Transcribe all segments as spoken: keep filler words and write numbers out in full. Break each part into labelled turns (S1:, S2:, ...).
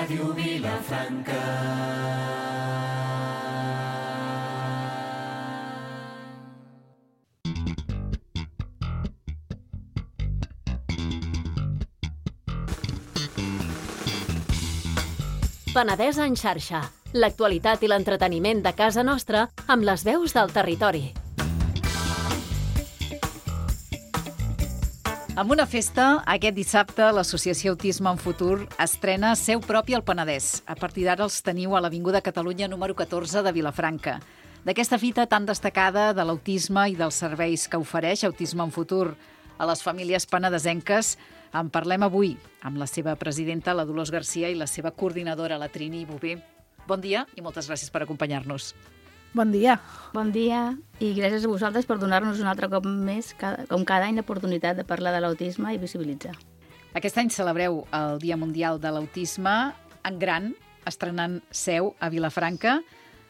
S1: Ràdio Vilafranca.
S2: Penedès en xarxa. L'actualitat i l'entreteniment de casa nostra amb les veus del territori.
S3: Amb una festa, aquest dissabte l'Associació Autisme en Futur estrena Seu Propi al Penedès. A partir d'ara els teniu a l'Avinguda Catalunya número catorze de Vilafranca. D'aquesta fita tan destacada de l'autisme i dels serveis que ofereix Autisme en Futur a les famílies penedesenques, en parlem avui amb la seva presidenta, la Dolors Garcia, i la seva coordinadora, la Trini Bové. Bon dia i moltes gràcies per acompanyar-nos.
S4: Bon dia.
S5: Bon dia i gràcies a vosaltres per donar-nos un altre cop més, com cada any, l'oportunitat de parlar de l'autisme i visibilitzar.
S3: Aquest any celebreu el Dia Mundial de l'Autisme en gran, estrenant seu a Vilafranca.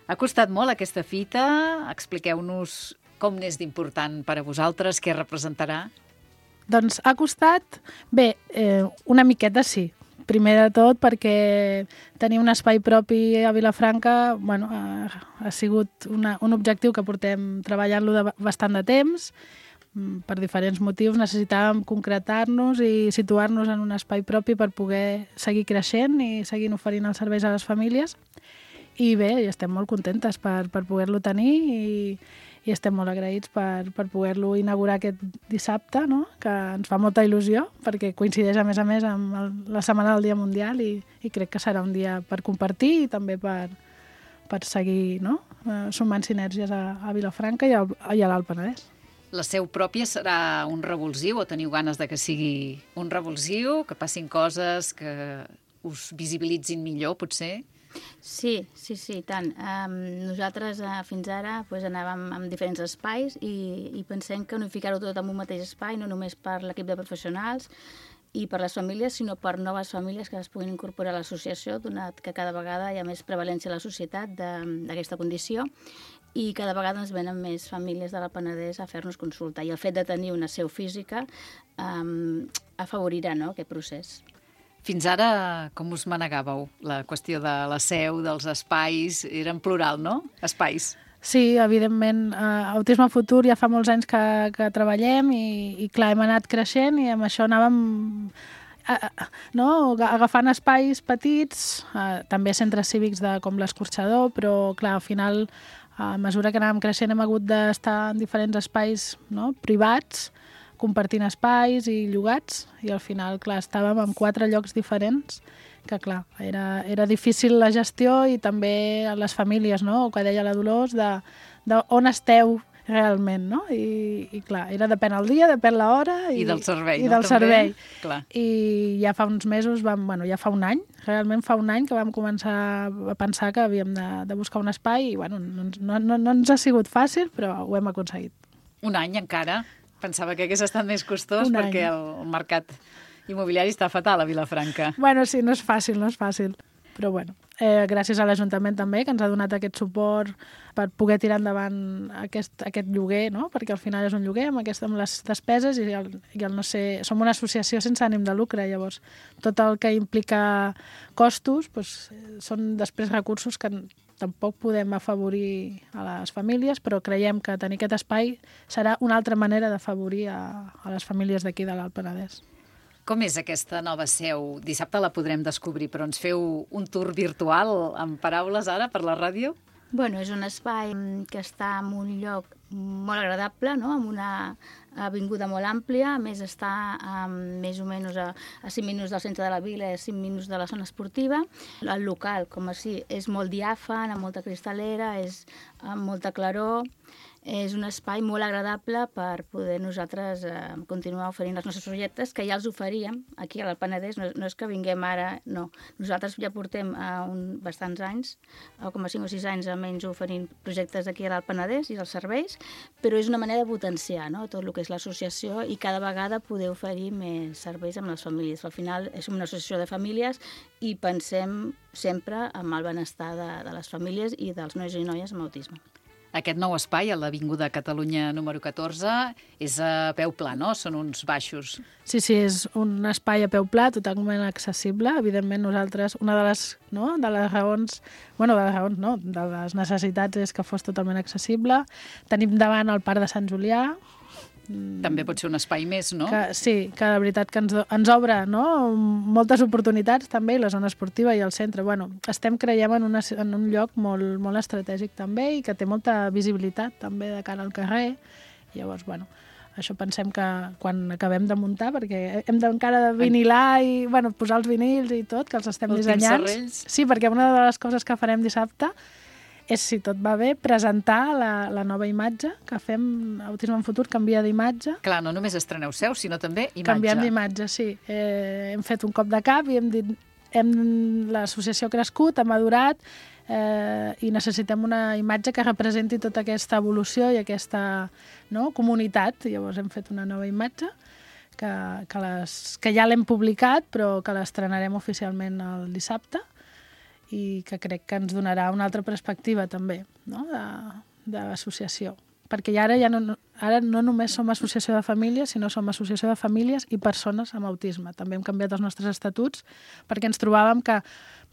S3: Ha costat molt aquesta fita? Expliqueu-nos com n'és d'important per a vosaltres, què representarà?
S4: Doncs ha costat, bé, eh, una miqueta sí. Primer de tot perquè tenir un espai propi a Vilafranca bueno, ha, ha sigut una, un objectiu que portem treballant-lo de bastant de temps. Per diferents motius necessitàvem concretar-nos i situar-nos en un espai propi per poder seguir creixent i seguir oferint els serveis a les famílies. I bé, estem molt contentes per, per poder-lo tenir i, i estem molt agraïts per, per poder-lo inaugurar aquest dissabte, no? Que ens fa molta il·lusió perquè coincideix a més a més amb el, la Setmana del Dia Mundial i, i crec que serà un dia per compartir i també per, per seguir, no? eh, sumant sinergies a, a Vilafranca i, al, i a l'Alt Penedès.
S3: La seu pròpia serà un revulsiu o teniu ganes de que sigui un revulsiu, que passin coses que us visibilitzin millor, potser?
S5: Sí, sí, sí, tant. Um, nosaltres uh, fins ara pues, anàvem en diferents espais i, i pensem que unificar-ho tot en un mateix espai, no només per l'equip de professionals i per les famílies, sinó per noves famílies que es puguin incorporar a l'associació, donat que cada vegada hi ha més prevalència a la societat d'aquesta condició i cada vegada ens venen més famílies de la Penedès a fer-nos consulta. I el fet de tenir una seu física um, afavorirà, no?, aquest procés.
S3: Fins ara, com us manegàveu? La qüestió de la seu, dels espais, era en plural, no? Espais.
S4: Sí, evidentment. Uh, Autisme Futur ja fa molts anys que, que treballem i, i clar, hem anat creixent i amb això anàvem uh, uh, no? agafant espais petits, uh, també centres cívics de, com l'Escorxador, però clar, al final, a mesura que anàvem creixent hem hagut d'estar en diferents espais, no?, privats, compartint espais i llogats, i al final, clar, estàvem en quatre llocs diferents, que clar, era, era difícil la gestió i també les famílies, no?, o que deia la Dolors, de, de on esteu realment, no? I, i clar, era depèn el dia, depèn l'hora i,
S3: I del servei,
S4: i
S3: no?
S4: del servei.
S3: Clar.
S4: I ja fa uns mesos, vam, bueno, ja fa un any, realment fa un any que vam començar a pensar que havíem de, de buscar un espai i bueno, no, no, no, no ens ha sigut fàcil, però ho hem aconseguit.
S3: Un any encara? Pensava que hagués estat més costós perquè el mercat immobiliari està fatal a Vilafranca.
S4: Bueno, sí, no és fàcil, no és fàcil. Però bueno, eh, gràcies a l'Ajuntament també, que ens ha donat aquest suport per poder tirar endavant aquest, aquest lloguer, no? Perquè al final és un lloguer amb, aquest, amb les despeses i el, i el no sé... Som una associació sense ànim de lucre, llavors tot el que implica costos doncs, són després recursos que tampoc podem afavorir a les famílies, però creiem que tenir aquest espai serà una altra manera d'afavorir a, a les famílies d'aquí de l'Alt Penedès.
S3: Com és aquesta nova seu? Dissabte la podrem descobrir, però ens feu un tour virtual amb paraules ara per la ràdio?
S5: Bueno, és un espai que està en un lloc molt agradable, no?, amb una avinguda molt àmplia, a més està um, més o menys a, a cinc minuts del centre de la vila i a cinc minuts de la zona esportiva. El local, com així, és molt diàfan, amb molta cristalera, és amb molta claror. És un espai molt agradable per poder nosaltres eh, continuar oferint els nostres projectes, que ja els oferíem aquí a l'Alt Penedès, no, no és que vinguem ara, no. Nosaltres ja portem eh, un, bastants anys, com a cinc o sis anys almenys oferint projectes aquí a l'Alt Penedès i els serveis, però és una manera de potenciar, no?, tot el que és l'associació i cada vegada poder oferir més serveis amb les famílies. Al final és una associació de famílies i pensem sempre en el benestar de, de les famílies i dels nois i noies amb autisme.
S3: Aquest nou espai, a l'Avinguda Catalunya número catorze, és a peu pla, no? Són uns baixos.
S4: Sí, sí, és un espai a peu pla, totalment accessible. Evidentment, nosaltres, una de les, no, de les raons, bueno, de les raons, no, de les necessitats és que fos totalment accessible. Tenim davant el Parc de Sant Julià.
S3: També pot ser un espai més, no?
S4: Que, sí, que de veritat que ens, ens obre, no? Moltes oportunitats també, i la zona esportiva i el centre. Bueno, estem, creiem, en, una, en un lloc molt, molt estratègic també i que té molta visibilitat també de cara al carrer. Llavors, bueno, això pensem que quan acabem de muntar, perquè hem d'encara de vinilar i bueno, posar els vinils i tot, que els estem
S3: Últims
S4: dissenyant.
S3: serrells.
S4: Sí, perquè una de les coses que farem dissabte és, si tot va bé, presentar la, la nova imatge que fem. Autisme en Futur canvia d'imatge.
S3: Clar, no només estreneu seu, sinó també imatge.
S4: Canviem d'imatge, sí. Eh, hem fet un cop de cap i hem dit hem, l'associació ha crescut, ha madurat eh, i necessitem una imatge que representi tota aquesta evolució i aquesta, no, comunitat. Llavors hem fet una nova imatge que, que, les, que ja l'hem publicat, però que l'estrenarem oficialment el dissabte, i que crec que ens donarà una altra perspectiva també, no? de, de l'associació. Perquè ara ja no, ara no només som associació de famílies, sinó som associació de famílies i persones amb autisme. També hem canviat els nostres estatuts perquè ens trobàvem que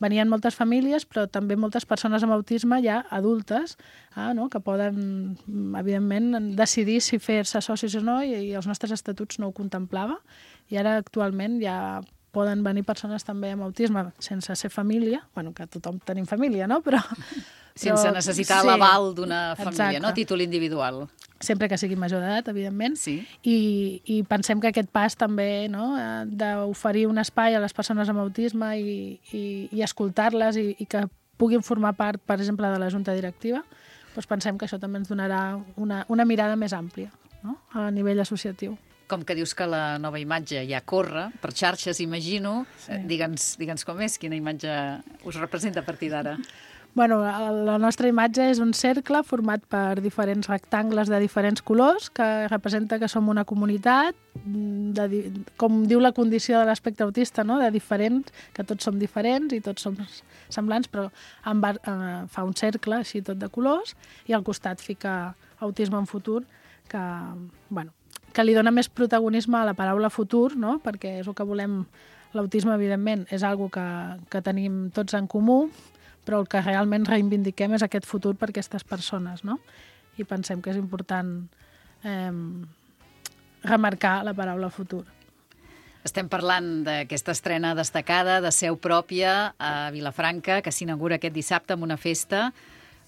S4: venien moltes famílies, però també moltes persones amb autisme ja adultes, ah, no? que poden, evidentment, decidir si fer-se socis o no, i, i els nostres estatuts no ho contemplava. I ara, actualment, ja poden venir persones també amb autisme sense ser família, bueno, que tothom tenim família, no? Però,
S3: sense
S4: però,
S3: necessitar
S4: sí,
S3: l'aval d'una família,
S4: exacte.
S3: no? Títol individual.
S4: Sempre que sigui major d'edat, evidentment.
S3: Sí.
S4: I, I pensem que aquest pas també, no? d'oferir un espai a les persones amb autisme i, i, i escoltar-les i, i que puguin formar part, per exemple, de la junta directiva, doncs pensem que això també ens donarà una, una mirada més àmplia, no? A nivell associatiu.
S3: Com que dius que la nova imatge ja corre per xarxes, imagino, sí. digue'ns, digue'ns com és, quina imatge us representa a partir d'ara.
S4: Bueno, la nostra imatge és un cercle format per diferents rectangles de diferents colors, que representa que som una comunitat, de, com diu la condició de l'espectre autista, no? de diferents, que tots som diferents i tots som semblants, però en va, eh, fa un cercle així tot de colors, i al costat fica Autisme en Futur, que, bueno, que li dona més protagonisme a la paraula futur, no? Perquè és el que volem. L'autisme, evidentment, és algo que, que tenim tots en comú, però el que realment reivindiquem és aquest futur per a aquestes persones, no? I pensem que és important eh, remarcar la paraula futur.
S3: Estem parlant d'aquesta estrena destacada de seu pròpia a Vilafranca, que s'inaugura aquest dissabte amb una festa,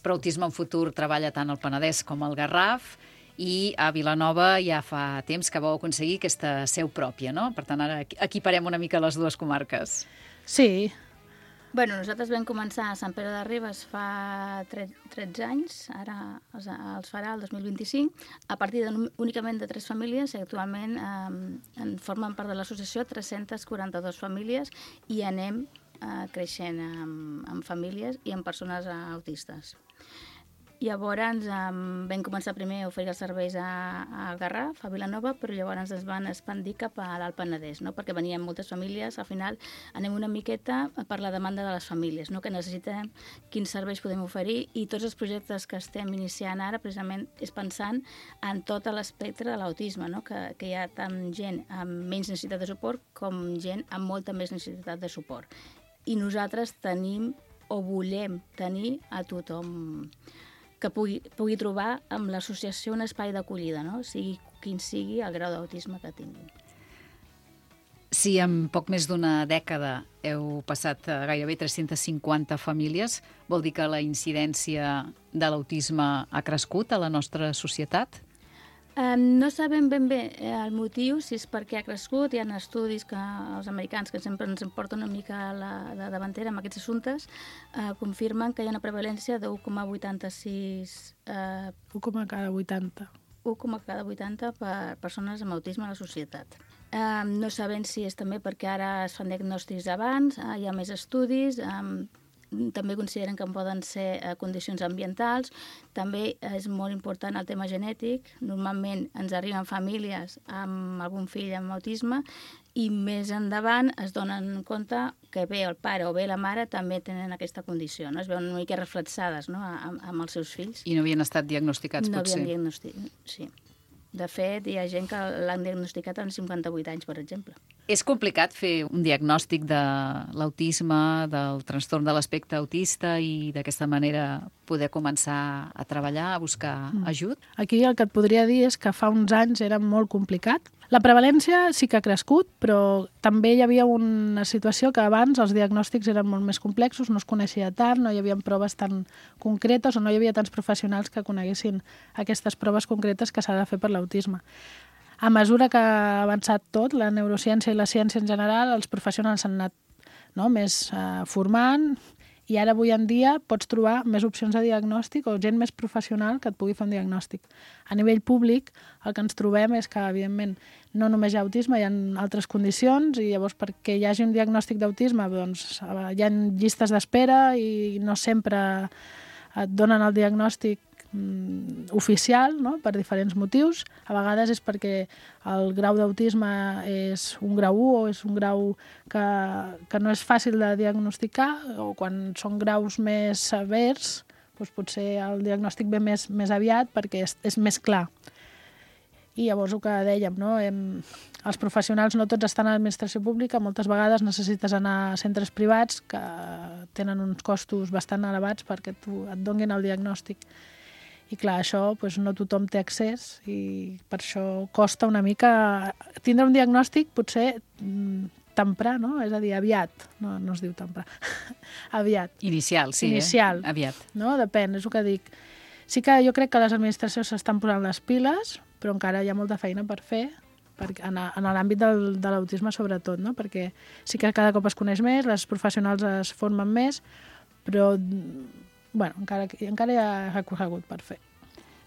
S3: però Autisme en Futur treballa tant al Penedès com al Garraf, i a Vilanova ja fa temps que vau aconseguir aquesta seu pròpia, no? Per tant, ara equiparem una mica les dues comarques.
S4: Sí.
S5: Bueno, nosaltres vam començar a Sant Pere de Ribes fa tretze anys, ara els, els farà el dos mil vint-i-cinc, a partir de, únicament de tres famílies, i actualment eh, en formen part de l'associació tres-centes quaranta-dues famílies, i anem eh, creixent amb, amb famílies i amb persones autistes. Llavors um, vam començar primer a oferir els serveis a, a Garraf, a Vilanova, però llavors ens van expandir cap a l'Alt Penedès, no? Perquè venien moltes famílies, al final anem una miqueta per la demanda de les famílies, no? Que necessitem quins serveis podem oferir, i tots els projectes que estem iniciant ara precisament és pensant en tot l'espectre de l'autisme, no? Que, que hi ha tant gent amb menys necessitat de suport com gent amb molta més necessitat de suport. I nosaltres tenim o volem tenir a tothom que pugui, pugui trobar amb l'associació un espai d'acollida, no? Sigui quin sigui el grau d'autisme que tinguin.
S3: Si en poc més d'una dècada heu passat a gairebé tres-centes cinquanta famílies, vol dir que la incidència de l'autisme ha crescut a la nostra societat?
S5: Um, no sabem ben bé el motiu, si és perquè ha crescut. Hi ha estudis que els americans, que sempre ens porten una mica a la, la davantera amb aquests assumptes, uh, confirmen que hi ha una prevalència de u coma vuitanta-sis... Uh,
S4: u coma cada vuitanta.
S5: u coma cada vuitanta per persones amb autisme a la societat. Um, no sabem si és també perquè ara es fan diagnòstics abans, uh, hi ha més estudis... Um, també consideren que poden ser eh, condicions ambientals. També és molt important el tema genètic. Normalment ens arriben famílies amb algun fill amb autisme i més endavant es donen compte que bé el pare o bé la mare també tenen aquesta condició, no? Es veuen una mica reflexades, no? amb, amb els seus fills.
S3: I no havien estat diagnosticats,
S5: no
S3: potser?
S5: No havien diagnosticat, sí. De fet, hi ha gent que l'han diagnosticat als cinquanta-vuit anys, per exemple.
S3: És complicat fer un diagnòstic de l'autisme, del trastorn de l'espectre autista i d'aquesta manera poder començar a treballar, a buscar ajut?
S4: Aquí el que et podria dir és que fa uns anys era molt complicat. La prevalència sí que ha crescut, però també hi havia una situació que abans els diagnòstics eren molt més complexos, no es coneixia tant, no hi havia proves tan concretes o no hi havia tants professionals que coneguessin aquestes proves concretes que s'ha de fer per l'autisme. A mesura que ha avançat tot, la neurociència i la ciència en general, els professionals s'han anat no, més eh, formant, i ara avui en dia pots trobar més opcions de diagnòstic o gent més professional que et pugui fer un diagnòstic. A nivell públic, el que ens trobem és que, evidentment, no només hi ha autisme, hi ha altres condicions, i llavors perquè hi hagi un diagnòstic d'autisme doncs, hi ha llistes d'espera i no sempre et donen el diagnòstic oficial, no? Per diferents motius. A vegades és perquè el grau d'autisme és un grau u o és un grau que, que no és fàcil de diagnosticar, o quan són graus més severs doncs potser el diagnòstic ve més, més aviat perquè és, és més clar. I llavors el que dèiem, no? Hem, els professionals no tots estan a l'administració pública, moltes vegades necessites anar a centres privats que tenen uns costos bastant elevats perquè tu et donin el diagnòstic. I clar, això doncs, no tothom té accés i per això costa una mica tindre un diagnòstic potser temprà, no? És a dir, aviat. No, no es diu temprà. Aviat.
S3: Inicial, sí,
S4: Inicial,
S3: eh? Aviat.
S4: No? Depèn, és el que dic. Sí que jo crec que les administracions s'estan posant les piles, però encara hi ha molta feina per fer, en, en l'àmbit del, de l'autisme sobretot, no? Perquè sí que cada cop es coneix més, les professionals es formen més, però bueno, encara, encara hi ha recorregut per fer.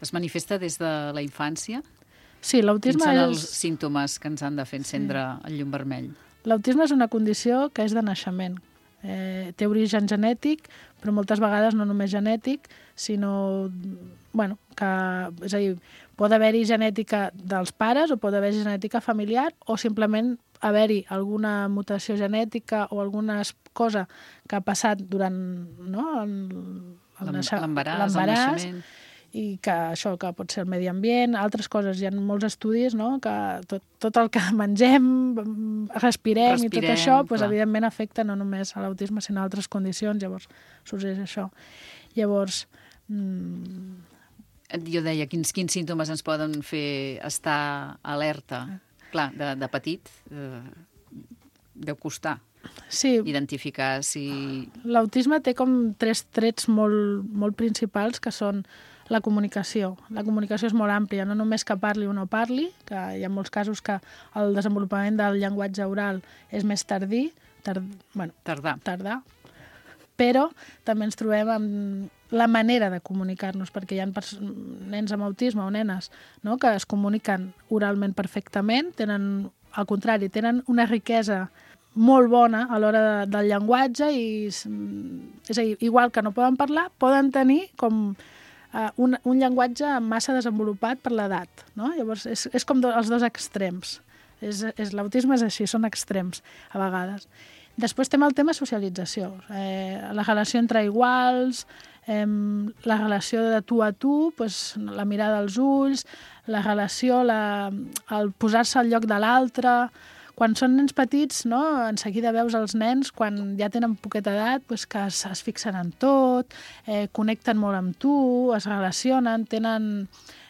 S3: Es manifesta des de la infància?
S4: Sí, l'autisme
S3: és... Quins són
S4: és...
S3: els símptomes que ens han de fer encendre sí. el llum vermell?
S4: L'autisme és una condició que és de naixement. Eh, té origen genètic, però moltes vegades no només genètic, sinó bueno, que, és a dir, pot haver-hi genètica dels pares o pot haver-hi genètica familiar o simplement haver-hi alguna mutació genètica o alguna cosa que ha passat durant no,
S3: l'embaràs, el naixement,
S4: i que això que pot ser el medi ambient, altres coses. Hi ha molts estudis no, que tot, tot el que mengem, respirem, respirem i tot això, doncs, evidentment afecta no només a l'autisme, sinó a altres condicions, llavors sorgeix això. Llavors... Mmm...
S3: Jo deia, quins, quins símptomes ens poden fer estar alerta? Clar, de, de petit eh, deu costar
S4: sí.
S3: identificar si...
S4: L'autisme té com tres trets molt, molt principals, que són la comunicació. La comunicació és molt àmplia, no només que parli o no parli, que hi ha molts casos que el desenvolupament del llenguatge oral és més tardí, tard, bueno,
S3: tardà.
S4: tardà, però també ens trobem amb la manera de comunicar-nos, perquè hi ha nens amb autisme o nenes no, que es comuniquen oralment perfectament, tenen, al contrari, tenen una riquesa molt bona a l'hora de, del llenguatge i, és a dir, igual que no poden parlar, poden tenir com uh, un, un llenguatge massa desenvolupat per l'edat. No? Llavors, és, és com do, els dos extrems. És, és, l'autisme és així, són extrems a vegades. Després tenim el tema socialització, eh, la relació entre iguals, eh, la relació de tu a tu, pues, la mirada als ulls, la relació, la, el posar-se al lloc de l'altre. Quan són nens petits, no, en seguida veus els nens, quan ja tenen poqueta edat, pues, que es, es fixen en tot, eh, connecten molt amb tu, es relacionen, tenen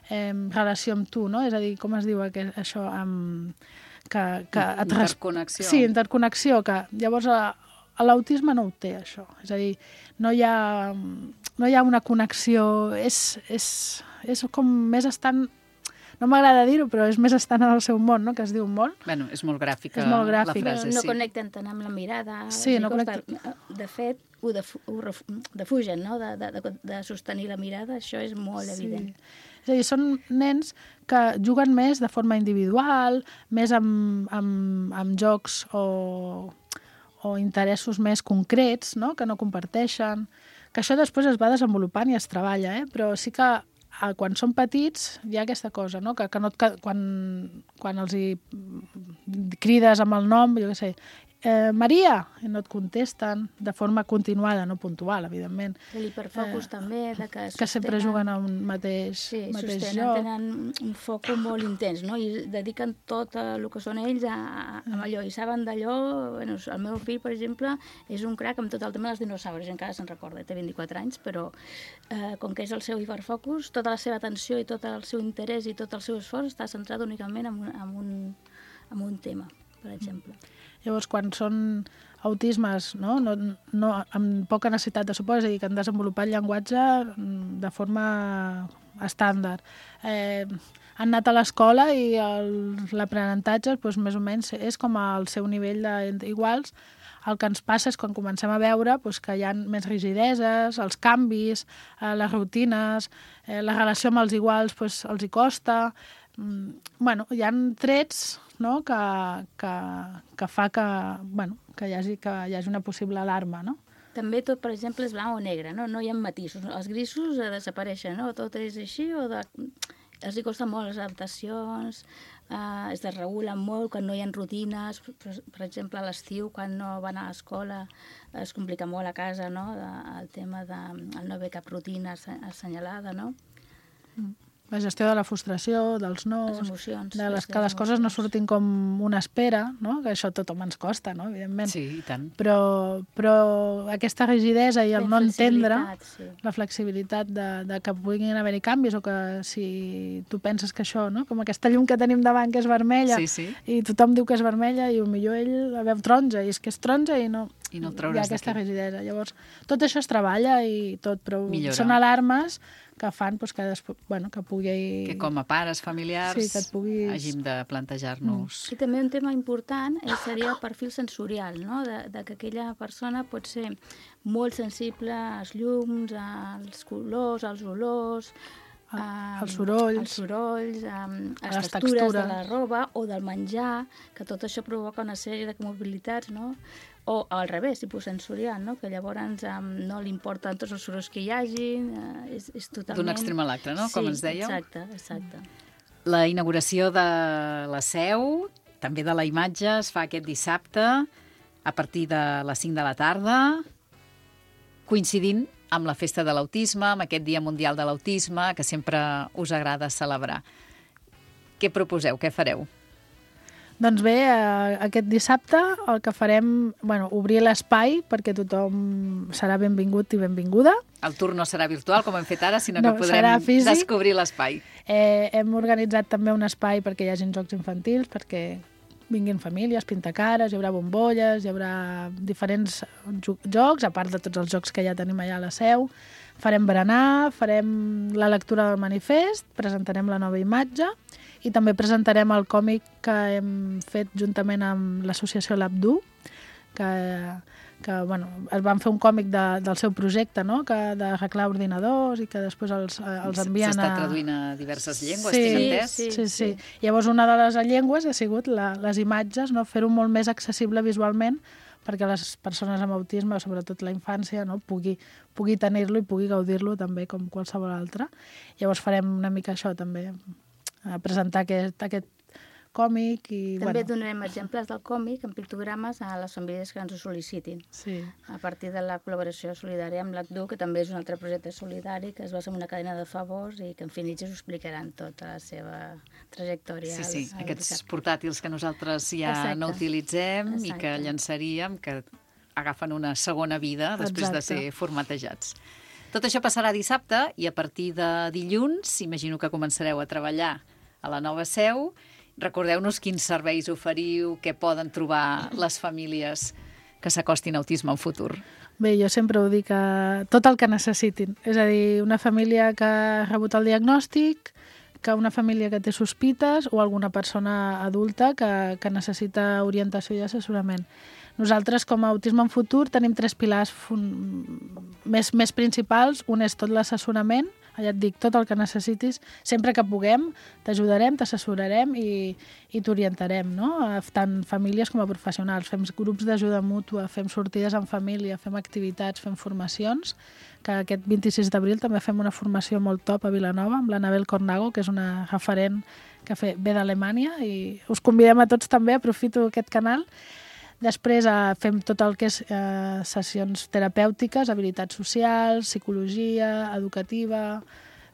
S4: eh, relació amb tu, no? És a dir, com es diu aquest, això, amb... Que, que et
S3: interconnexió.
S4: Sí, interconnexió, que llavors a, a l'autisme no ho té, això. És a dir, no hi ha, no hi ha una connexió, és, és, és com més estant, no m'agrada dir-ho, però és més estant en el seu món, no?, que es diu molt.
S3: Bueno, és molt gràfica,
S4: és molt gràfic.
S3: la frase,
S5: no, no
S3: sí.
S5: connecten tant amb la mirada.
S4: Sí, no connecten.
S5: De fet, ho, def, ho defugen, no?, de, de, de sostenir la mirada, això és molt
S4: sí.
S5: evident.
S4: És a dir, són nens que juguen més de forma individual, més amb, amb, amb jocs o, o interessos més concrets, no?, que no comparteixen, que això després es va desenvolupant i es treballa, eh? Però sí que quan són petits hi ha aquesta cosa, no? que, que no et, quan, quan els hi crides amb el nom, jo què sé, eh, Maria, i no et contesten de forma continuada, no puntual, evidentment.
S5: L'hiperfocus eh, també, de que,
S4: que sempre juguen a un mateix,
S5: sí,
S4: mateix
S5: sostenen,
S4: joc.
S5: Tenen un foc molt intens, no? I dediquen tot el que són ells a, a allò, i saben d'allò. Bueno, el meu fill, per exemple, és un crac amb tot el tema dels dinosaures, encara se'n recorda, té vint-i-quatre anys, però eh, com que és el seu hiperfocus, tota la seva atenció i tot el seu interès i tot el seu esforç està centrat únicament en un, en un, en un tema, per exemple.
S4: Llavors, quan són autismes, no? No, no, amb poca necessitat de suport, és a dir, que han desenvolupat llenguatge de forma estàndard. Eh, han anat a l'escola i l'aprenentatge doncs, més o menys és com al seu nivell d'iguals. El que ens passa és quan comencem a veure doncs, que hi ha més rigideses, els canvis, eh, les rutines, eh, la relació amb els iguals doncs, els hi costa. Mm, bueno, hi ha trets, no? que, que, que fa que, bueno, que, hi hagi, que hi hagi una possible alarma, no?
S5: També tot, per exemple, és blanc o negre, no? No hi ha matisos. Els grisos eh, desapareixen, no? Tot és així, o de... els hi costa molt les adaptacions, eh, es desregulen molt quan no hi ha rutines. Per, per exemple, a l'estiu, quan no van a l'escola, es complica molt a casa, no? De, el tema de el no haver cap rutina assenyalada, no?
S4: Mm. La gestió de la frustració, dels nos,
S5: les emocions,
S4: de les, que les coses no surtin com una espera, no? Que això a tothom ens costa, no? Evidentment.
S3: Sí, i tant.
S4: Però, però aquesta rigidesa i el no entendre,
S5: sí.
S4: La flexibilitat de, de que puguin haver-hi canvis, o que si tu penses que això, no? Com aquesta llum que tenim davant que és vermella,
S3: sí, sí.
S4: I tothom diu que és vermella i potser ell la veu taronja, i és que és taronja i no...
S3: I no
S4: hi ha aquesta rigidesa. Llavors, tot això es treballa i tot, però
S3: millora.
S4: Són alarmes que fan doncs, que, després, bueno, que pugui...
S3: Que com a pares familiars
S4: sí, que et puguis...
S3: hàgim de plantejar-nos...
S5: Mm. I també un tema important seria el perfil sensorial, no? de, de que aquella persona pot ser molt sensible als llums, als colors, als olors,
S4: Um, els sorolls,
S5: els sorolls um,
S4: a
S5: les,
S4: les
S5: textures,
S4: textures
S5: de la roba o del menjar, que tot això provoca una sèrie de mobilitats, no? O al revés, hiposensorial, no? Que llavors um, no li importen tots els sorolls que hi hagi, uh, és, és totalment...
S3: D'un extrem a l'altre, no?
S5: Sí,
S3: com ens dèieu.
S5: exacte, exacte.
S3: La inauguració de la seu, també de la imatge, es fa aquest dissabte a partir de les cinc de la tarda, coincidint amb la festa de l'autisme, amb aquest Dia Mundial de l'Autisme, que sempre us agrada celebrar. Què proposeu? Què fareu?
S4: Doncs bé, eh, aquest dissabte el que farem, bueno, obrir l'espai perquè tothom serà benvingut i benvinguda.
S3: El tour no serà virtual, com hem fet ara, sinó
S4: no,
S3: que podrem descobrir l'espai.
S4: Eh, hem organitzat també un espai perquè hi hagin jocs infantils, perquè vinguin famílies, pintacares, hi haurà bombolles, hi haurà diferents jocs, a part de tots els jocs que ja tenim allà a la seu. Farem berenar, farem la lectura del manifest, presentarem la nova imatge i també presentarem el còmic que hem fet juntament amb l'associació L'Abdu, que, que bueno, es van fer un còmic de, del seu projecte, no? Que d'arreglar ordinadors i que després els, els envien a...
S3: S'està traduint a diverses llengües,
S4: sí,
S3: tinc entès?
S4: Sí, sí, sí. Llavors una de les llengües ha sigut la, les imatges, no? Fer-ho molt més accessible visualment perquè les persones amb autisme, sobretot la infància, no? pugui, pugui tenir-lo i pugui gaudir-lo també com qualsevol altre. Llavors farem una mica això també, a presentar aquest, aquest còmic. I,
S5: també
S4: bueno.
S5: donarem exemples del còmic en pictogrames a les famílies que ens ho sol·licitin.
S4: Sí.
S5: A partir de la col·laboració solidària amb l'A C D U, que també és un altre projecte solidari que es basa en una cadena de favors i que en fin ells us explicaran tota la seva trajectòria.
S3: Sí, sí,
S5: al, al
S3: aquests
S5: dissabte.
S3: portàtils que nosaltres ja Exacte. no utilitzem Exacte. i que llançaríem, que agafen una segona vida després Exacte. de ser formatejats. Tot això passarà dissabte i a partir de dilluns, imagino que començareu a treballar a la nova seu. Recordeu-nos quins serveis oferiu, què poden trobar les famílies que s'acostin a autisme en futur.
S4: Bé, jo sempre ho dic, que tot el que necessitin. És a dir, una família que ha rebut el diagnòstic, que una família que té sospites o alguna persona adulta que, que necessita orientació i assessorament. Nosaltres, com a Autisme en Futur, tenim tres pilars fun... més, més principals. Un és tot l'assessorament, ja et dic, tot el que necessitis, sempre que puguem, t'ajudarem, t'assessorarem i, i t'orientarem, no? Tant famílies com a professionals. Fem grups d'ajuda mútua, fem sortides en família, fem activitats, fem formacions, que aquest vint-i-sis d'abril també fem una formació molt top a Vilanova amb l'Anabel Cornago, que és una referent que ve d'Alemanya, i us convidem a tots també, aprofito aquest canal. Després eh, fem tot el que és eh, sessions terapèutiques, habilitats socials, psicologia, educativa,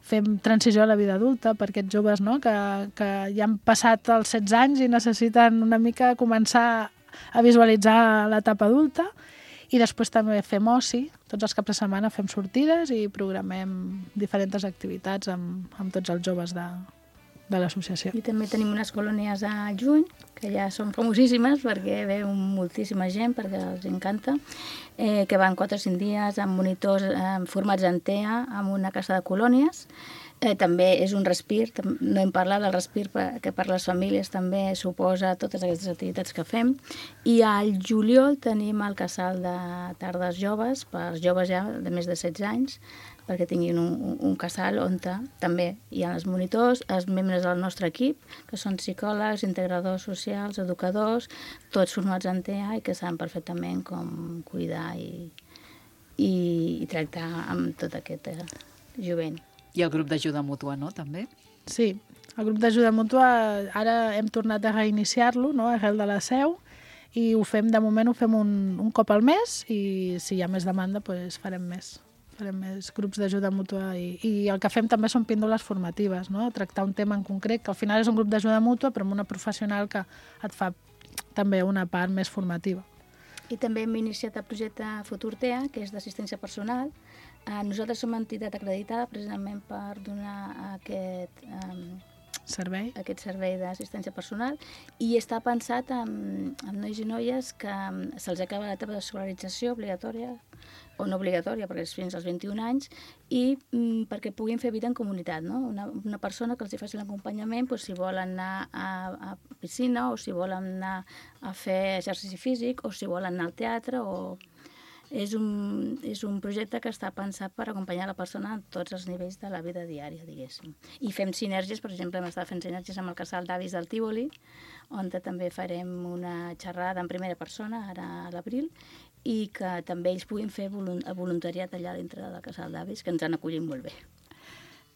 S4: fem transició a la vida adulta per aquests joves, no?, que, que ja han passat els setze anys i necessiten una mica començar a visualitzar l'etapa adulta. I després també fem oci, tots els caps de setmana fem sortides i programem diferents activitats amb, amb tots els joves de, de l'associació.
S5: I també tenim unes colònies a juny, que ja són famosíssimes perquè ve moltíssima gent, perquè els encanta, eh, que van quatre o cinc dies amb monitors eh, formats en T E A, amb una casa de colònies. Eh, també és un respir, no hem parlat del respir que per les famílies també suposa totes aquestes activitats que fem. I al juliol tenim el casal de tardes joves, per joves ja de més de setze anys, perquè tinguin un, un, un casal on també hi ha els monitors, els membres del nostre equip, que són psicòlegs, integradors socials, educadors, tots formats en T E A i que saben perfectament com cuidar i, i, i tractar amb tot aquest eh, jovent.
S3: I el grup d'ajuda mútua, no?, també?
S4: Sí, el grup d'ajuda mútua ara hem tornat a reiniciar-lo, no?, arrel de la seu, i ho fem, de moment ho fem un, un cop al mes, i si hi ha més demanda, doncs farem més. Farem més grups d'ajuda mútua i, i el que fem també són píndoles formatives, no?, tractar un tema en concret, que al final és un grup d'ajuda mútua, però amb una professional que et fa també una part més formativa.
S5: I també hem iniciat el projecte Futur T E A, que és d'assistència personal. Eh, nosaltres som entitat acreditada precisament per donar aquest, eh,
S4: servei,
S5: aquest servei d'assistència personal i està pensat en, en nois i noies que se'ls acaba l'etapa d'escolarització obligatòria o no obligatòria, perquè és fins als vint-i-un anys, i mm, perquè puguin fer vida en comunitat, no? Una, una persona que els hi faci l'acompanyament, doncs, si volen anar a, a piscina, o si volen anar a fer exercici físic, o si volen anar al teatre, o... És un, és un projecte que està pensat per acompanyar la persona en tots els nivells de la vida diària, diguéssim. I fem sinergies, per exemple, hem estat fent sinergies amb el casal d'avis del Tívoli, on també farem una xerrada en primera persona, ara a l'abril, i que també ells puguin fer voluntariat allà dintre del casal d'avis, que ens han acollit molt bé.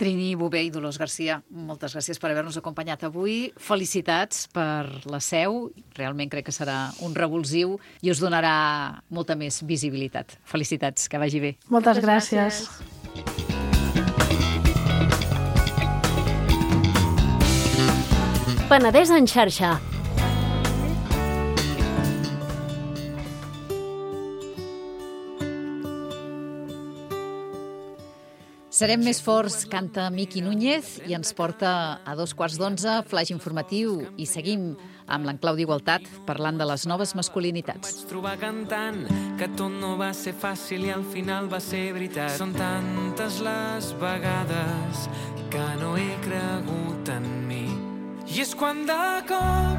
S3: Trini Bové i Dolors Garcia, moltes gràcies per haver-nos acompanyat avui. Felicitats per la seu. Realment crec que serà un revulsiu i us donarà molta més visibilitat. Felicitats, que vagi bé.
S4: Moltes, Moltes gràcies.
S2: gràcies. Penedès en xarxa.
S3: Serem més forts, canta Miqui Núñez i ens porta a dos quarts d'onze, flaix informatiu, i seguim amb l'enclau d'Igualtat parlant de les noves masculinitats.
S1: Vaig trobar cantant que tot no va ser fàcil i al final va ser veritat. Són tantes les vegades que no he cregut en mi. I és quan de cop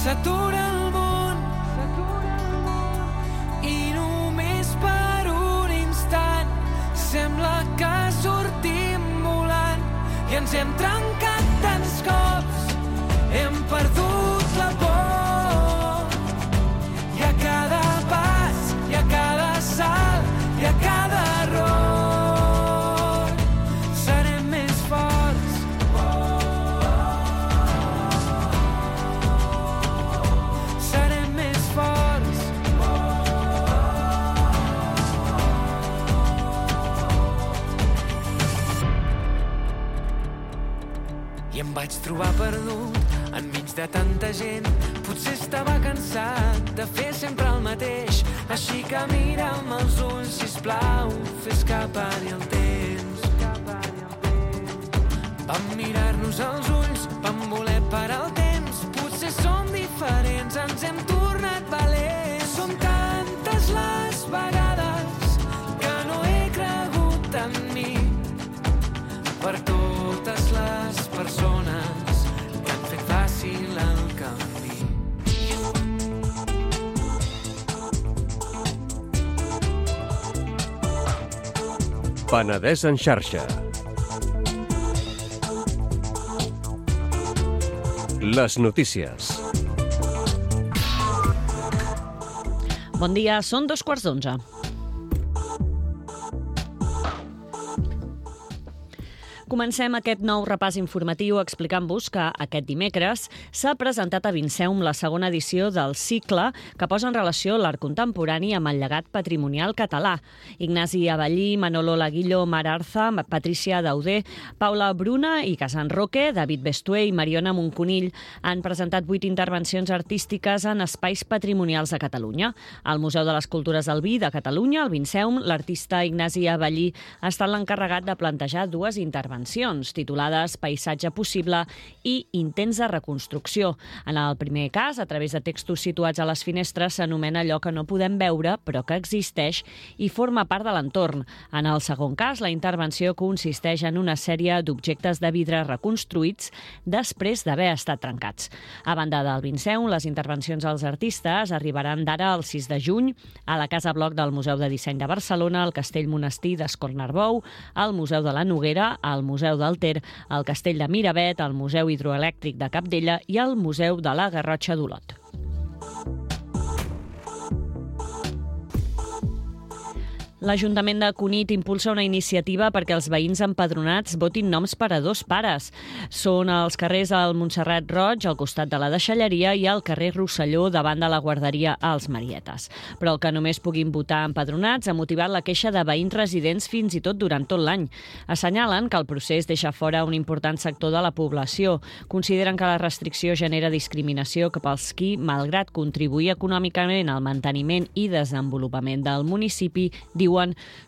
S1: s'atura el món i només per un instant sembla que sortim volant i ens hem trencat tants cops, hem perdut la por. I a cada pas, i a cada salt, i a cada error serem més forts. Serem més forts. I em vaig trobar perdut enmig de tanta gent. Potser estava cansat de fer sempre el mateix. Així que mira'm als ulls, sisplau, fes que pari el temps. Vam mirar-nos als ulls, vam voler parar el temps. Potser som diferents, ens hem tornat valents. Són tantes les vegades que no he cregut en mi. Per totes les persones que han fet fàcil el camí.
S6: Penedès en xarxa. Les notícies.
S7: Bon dia, són dos quarts d'onze. Comencem aquest nou repàs informatiu explicant-vos que aquest dimecres s'ha presentat a Vinceum la segona edició del cicle que posa en relació l'art contemporani amb el llegat patrimonial català. Ignasi Abellí, Manolo Laguillo, Mar Arza, Patricia Dauder, Paula Bruna i Casan Roque, David Bestué i Mariona Monconill han presentat vuit intervencions artístiques en espais patrimonials de Catalunya. Al Museu de les Cultures del Vi de Catalunya, al Vinceum, l'artista Ignasi Abellí ha estat l'encarregat de plantejar dues intervencions titulades Paisatge possible i Intents de reconstrucció. En el primer cas, a través de textos situats a les finestres, s'anomena allò que no podem veure, però que existeix i forma part de l'entorn. En el segon cas, la intervenció consisteix en una sèrie d'objectes de vidre reconstruïts després d'haver estat trencats. A banda del Vinceum, les intervencions dels artistes arribaran d'ara al sis de juny a la Casa Bloc del Museu de Disseny de Barcelona, al Castell Monestir d'Escornarbou, al Museu de la Noguera, al Museu del Ter, al Castell de Miravet, al Museu Hidroelèctric de Capdella i al Museu de la Garrotxa d'Olot. L'Ajuntament de Cunit impulsa una iniciativa perquè els veïns empadronats votin noms per a dos pares. Són els carrers al Montserrat Roig, al costat de la Deixalleria, i al carrer Rosselló, davant de la guarderia als Marietes. Però el que només puguin votar empadronats ha motivat la queixa de veïns residents fins i tot durant tot l'any. Assenyalen que el procés deixa fora un important sector de la població. Consideren que la restricció genera discriminació cap als qui, malgrat contribuir econòmicament al manteniment i desenvolupament del municipi, diuen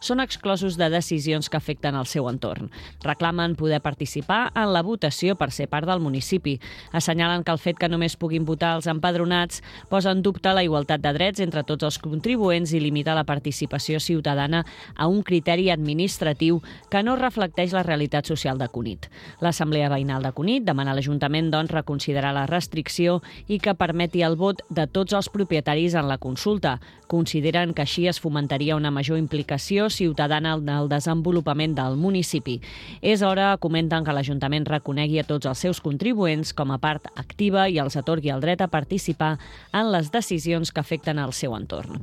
S7: són exclosos de decisions que afecten el seu entorn. Reclamen poder participar en la votació per ser part del municipi. Assenyalen que el fet que només puguin votar els empadronats posa en dubte la igualtat de drets entre tots els contribuents i limita la participació ciutadana a un criteri administratiu que no reflecteix la realitat social de Cunit. L'Assemblea Veïnal de Cunit demana a l'Ajuntament doncs, reconsiderar la restricció i que permeti el vot de tots els propietaris en la consulta. Consideren que així es fomentaria una major implicació ciutadana en el desenvolupament del municipi. És hora, comenten, que l'Ajuntament reconegui a tots els seus contribuents com a part activa i els atorgui el dret a participar en les decisions que afecten el seu entorn.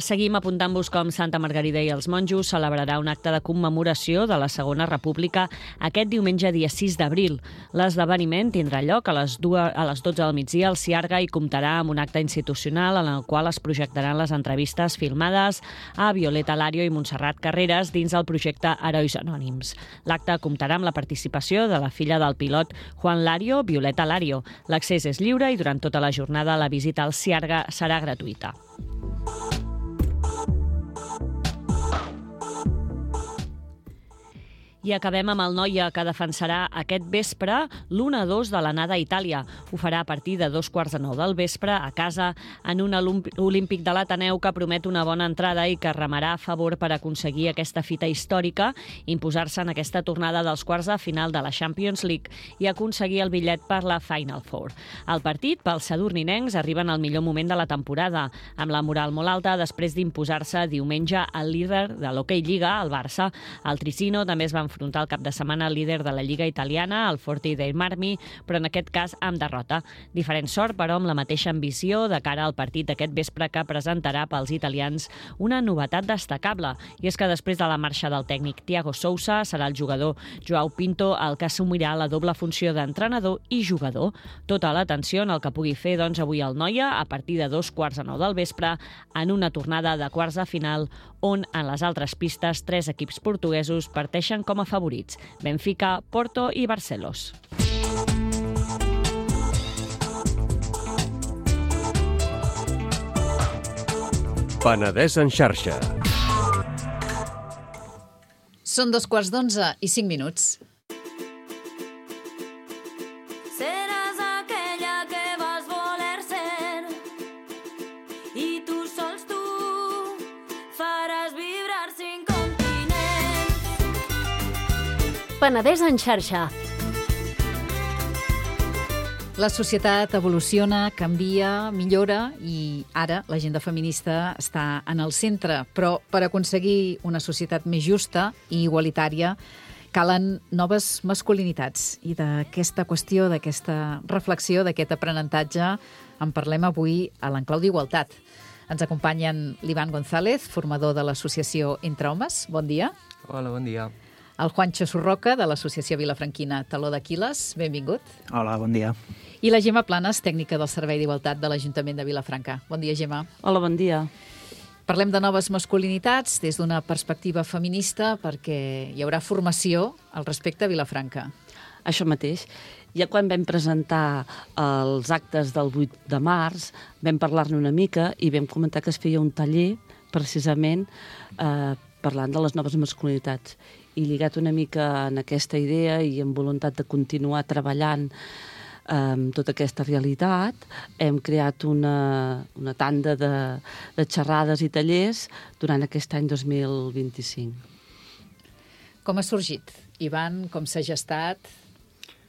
S7: Seguim apuntant-vos com Santa Margarida i els Monjos celebrarà un acte de commemoració de la Segona República aquest diumenge dia sis d'abril. L'esdeveniment tindrà lloc a les dotze del migdia al Ciarga i comptarà amb un acte institucional en el qual es projectaran les entrevistes filmades a Violeta Lario i Montserrat Carreras dins el projecte Herois Anònims. L'acte comptarà amb la participació de la filla del pilot Juan Lario, Violeta Lario. L'accés és lliure i durant tota la jornada la visita al Ciarga serà gratuïta. I acabem amb el Noia, que defensarà aquest vespre l'u a dos de l'anada a Itàlia. Ho farà a partir de dos quarts de nou del vespre a casa en un olímpic de l'Ateneu que promet una bona entrada i que remarà a favor per aconseguir aquesta fita històrica, imposar-se en aquesta tornada dels quarts de final de la Champions League i aconseguir el bitllet per la Final Four. El partit, pels sadurninencs, arriba en el millor moment de la temporada, amb la moral molt alta després d'imposar-se diumenge al líder de l'Hockey Lliga, el Barça. El Tricino també es va enfrontar el cap de setmana al líder de la Lliga italiana, el Forti dei Marmi, però en aquest cas amb derrota. Diferent sort, però amb la mateixa ambició de cara al partit d'aquest vespre que presentarà pels italians una novetat destacable. I és que després de la marxa del tècnic Thiago Sousa, serà el jugador Joao Pinto el que assumirà la doble funció d'entrenador i jugador. Tota l'atenció en el que pugui fer doncs, avui el Noia a partir de dos quarts de nou del vespre en una tornada de quarts de final on en les altres pistes tres equips portuguesos parteixen com a favorits: Benfica, Porto i Barcelos.
S6: Penedès en xarxa.
S3: Són dos quarts d'onze i cinc minuts.
S8: Seràs aquella que vas voler ser i tu sols tu faràs vibrar cinc continents.
S2: Penedès en xarxa.
S3: La societat evoluciona, canvia, millora i ara l'agenda feminista està en el centre. Però per aconseguir una societat més justa i igualitària calen noves masculinitats. I d'aquesta qüestió, d'aquesta reflexió, d'aquest aprenentatge en parlem avui a l'Enclau d'Igualtat. Ens acompanyen l'Ivan González, formador de l'associació Entre Homes. Bon dia.
S9: Hola, bon dia.
S3: El Juancho Surroca, de l'associació vilafranquina Taló d'Aquil·les. Benvingut.
S10: Hola, bon dia.
S3: I la Gemma Planes, tècnica del Servei d'Igualtat de l'Ajuntament de Vilafranca. Bon dia, Gemma.
S11: Hola, bon dia.
S3: Parlem de noves masculinitats des d'una perspectiva feminista perquè hi haurà formació al respecte a Vilafranca.
S11: Això mateix. Ja quan vam presentar els actes del vuit de març, vam parlar-ne una mica i vam comentar que es feia un taller precisament eh, parlant de les noves masculinitats. I lligat una mica en aquesta idea i amb voluntat de continuar treballant amb eh, tota aquesta realitat, hem creat una, una tanda de, de xerrades i tallers durant aquest any dos mil vint-i-cinc.
S3: Com ha sorgit? Ivan, com s'ha gestat?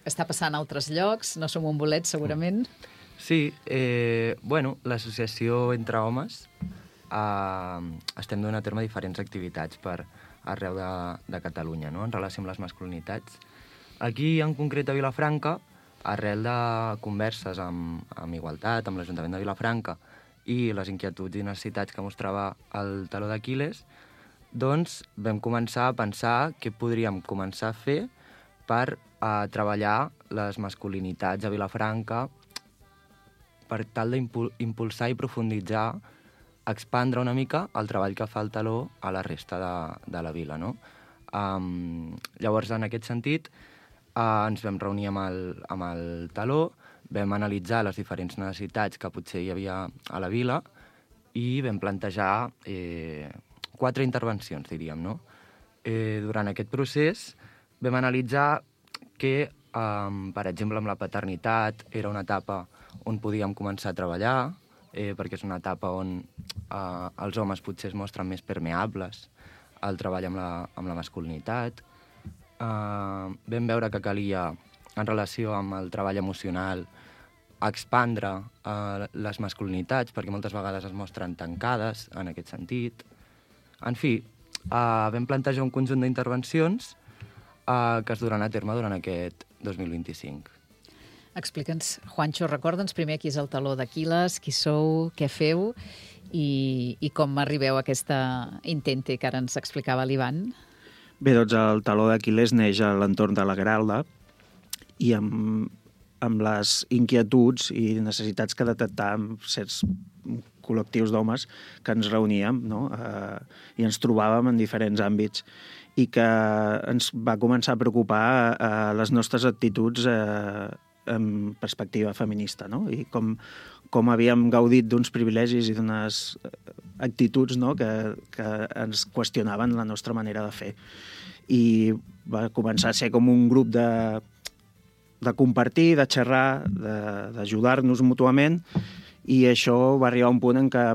S3: Està passant a altres llocs? No som un bolet, segurament?
S9: Sí, eh, bueno, l'associació Entre Homes eh, estem donant a terme diferents activitats per arreu de, de Catalunya, no?, en relació amb les masculinitats. Aquí, en concret, a Vilafranca, arrel de converses amb, amb Igualtat, amb l'Ajuntament de Vilafranca i les inquietuds i necessitats que mostrava el Taló d'Aquil·les, doncs vam començar a pensar què podríem començar a fer per a treballar les masculinitats a Vilafranca per tal d'impulsar i profunditzar, expandre una mica el treball que fa el Taló a la resta de, de la vila, no? Um, llavors, en aquest sentit, uh, ens vam reunir amb el, amb el Taló, vam analitzar les diferents necessitats que potser hi havia a la vila i vam plantejar eh, quatre intervencions, diríem, no? Eh, durant aquest procés vam analitzar que, um, per exemple, amb la paternitat era una etapa on podíem començar a treballar, eh, perquè és una etapa on eh, els homes potser es mostren més permeables al treball amb la, amb la masculinitat. Eh, vam veure que calia, en relació amb el treball emocional, expandre eh, les masculinitats, perquè moltes vegades es mostren tancades en aquest sentit. En fi, eh, vam plantejar un conjunt d'intervencions eh, que es duran a terme durant aquest dos mil vint-i-cinc.
S3: Explica'ns, Juancho, recorda'ns primer qui és el Taló d'Aquil·les, qui sou, què feu i, i com arribeu a aquesta intente que ara ens explicava l'Ivan.
S10: Bé, doncs el Taló d'Aquil·les neix a l'entorn de la Gralda i amb, amb les inquietuds i necessitats que detectàvem certs col·lectius d'homes que ens reuníem, no? eh, i ens trobàvem en diferents àmbits i que ens va començar a preocupar eh, les nostres actituds eh, en perspectiva feminista, no? I com, com havíem gaudit d'uns privilegis i d'unes actituds, no?, que, que ens qüestionaven la nostra manera de fer. I va començar a ser com un grup de, de compartir, de xerrar, d'ajudar-nos mútuament, i això va arribar a un punt en què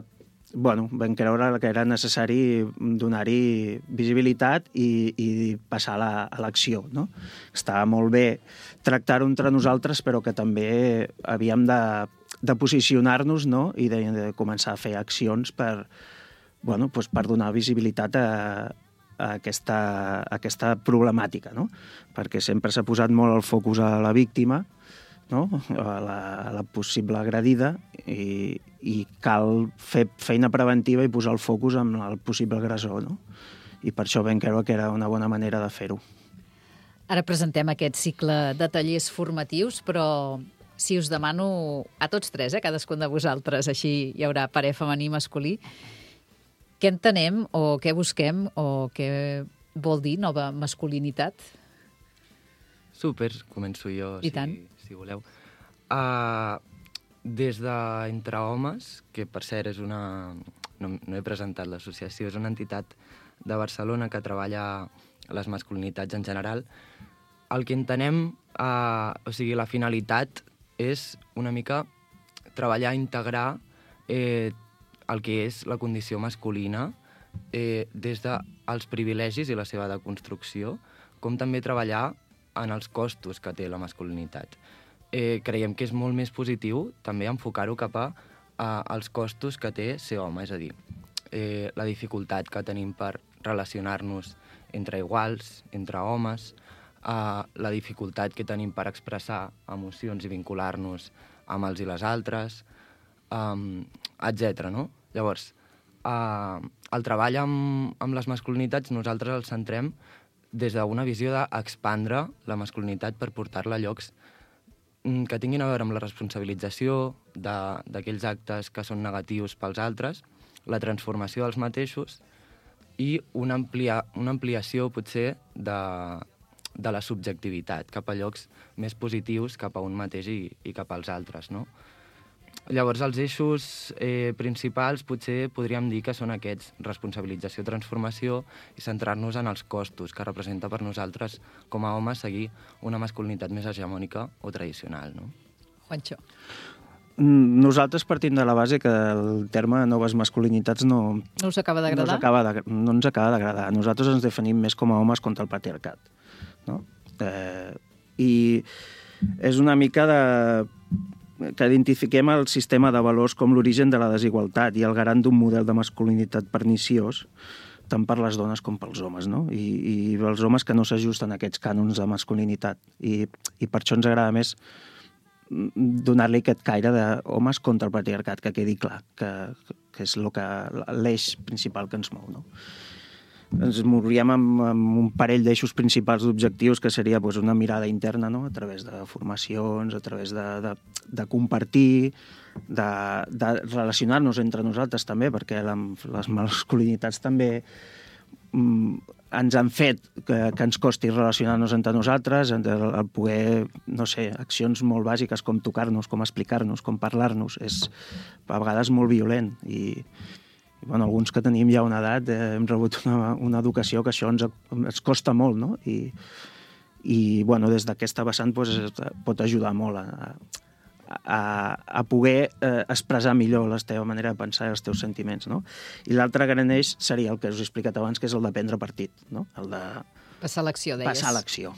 S10: bueno, vam creure que era necessari donar-hi visibilitat i, i passar a la, a l'acció, no? Estava molt bé tractar-ho entre nosaltres, però que també havíem de, de posicionar-nos, no?, i de, de començar a fer accions per, bueno, doncs per donar visibilitat a, a, aquesta, a aquesta problemàtica, no? Perquè sempre s'ha posat molt el focus a la víctima, no?, a la, a la possible agredida, i, i cal fer feina preventiva i posar el focus en el possible agressor, no? I per això vam creure que era una bona manera de fer-ho.
S3: Ara presentem aquest cicle de tallers formatius, però si us demano a tots tres, eh, cadascun de vosaltres, així hi haurà parer femení i masculí, què entenem o què busquem o què vol dir nova masculinitat?
S9: Súper, començo jo,
S3: I
S9: si,
S3: tant.
S9: si voleu. Uh, des d'Entre Homes, que per cert és una... No, no he presentat l'associació, és una entitat de Barcelona que treballa les masculinitats en general. El que entenem, uh, o sigui, la finalitat és una mica treballar, integrar eh, el que és la condició masculina eh, des dels privilegis i la seva deconstrucció, com també treballar en els costos que té la masculinitat. eh, creiem que és molt més positiu també enfocar-ho cap a, a als costos que té ser home, és a dir, eh, la dificultat que tenim per relacionar-nos entre iguals, entre homes, eh, la dificultat que tenim per expressar emocions i vincular-nos amb els i les altres, um, etcètera. No? Llavors, uh, el treball amb, amb les masculinitats nosaltres el centrem des d'una visió d'expandre la masculinitat per portar-la a llocs que tinguin a veure amb la responsabilització d'aquells actes que són negatius pels altres, la transformació dels mateixos i una, amplia, una ampliació, potser, de, de la subjectivitat cap a llocs més positius cap a un mateix i, i cap als altres, no? Llavors, els eixos eh, principals potser podríem dir que són aquests: responsabilització, transformació i centrar-nos en els costos que representa per nosaltres com a homes seguir una masculinitat més hegemònica o tradicional, no?
S3: Juancho.
S10: Nosaltres partim de la base que el terme noves masculinitats no...
S3: No us acaba d'agradar?
S10: No, acaba de, no ens acaba d'agradar. Nosaltres ens definim més com a homes contra el patriarcat, no? Eh, I és una mica de... que identifiquem el sistema de valors com l'origen de la desigualtat i el garant d'un model de masculinitat perniciós tant per les dones com pels homes, no? I, i els homes que no s'ajusten a aquests cànons de masculinitat. I, i per això ens agrada més donar-li aquest caire d'homes contra el patriarcat, que quedi clar, que, que és lo que, l'eix principal que ens mou, no? Ens mouríem amb, amb un parell d'eixos principals d'objectius, que seria pues, una mirada interna, no? A través de formacions, a través de, de, de compartir, de, de relacionar-nos entre nosaltres també, perquè la, les masculinitats també mm, ens han fet que, que ens costi relacionar-nos entre nosaltres, el, el poder, no sé, accions molt bàsiques com tocar-nos, com explicar-nos, com parlar-nos, és a vegades molt violent i I, bueno, alguns que tenim ja una edat eh, hem rebut una, una educació que això ens, ens costa molt, no? I, i bueno, des d'aquesta vessant pues, pot ajudar molt a, a, a poder eh, expressar millor la teva manera de pensar i els teus sentiments, no? I l'altre gran eix seria el que us he explicat abans, que és el de prendre partit, no? El de...
S3: Passar a l'acció, deies.
S10: Passar a l'acció.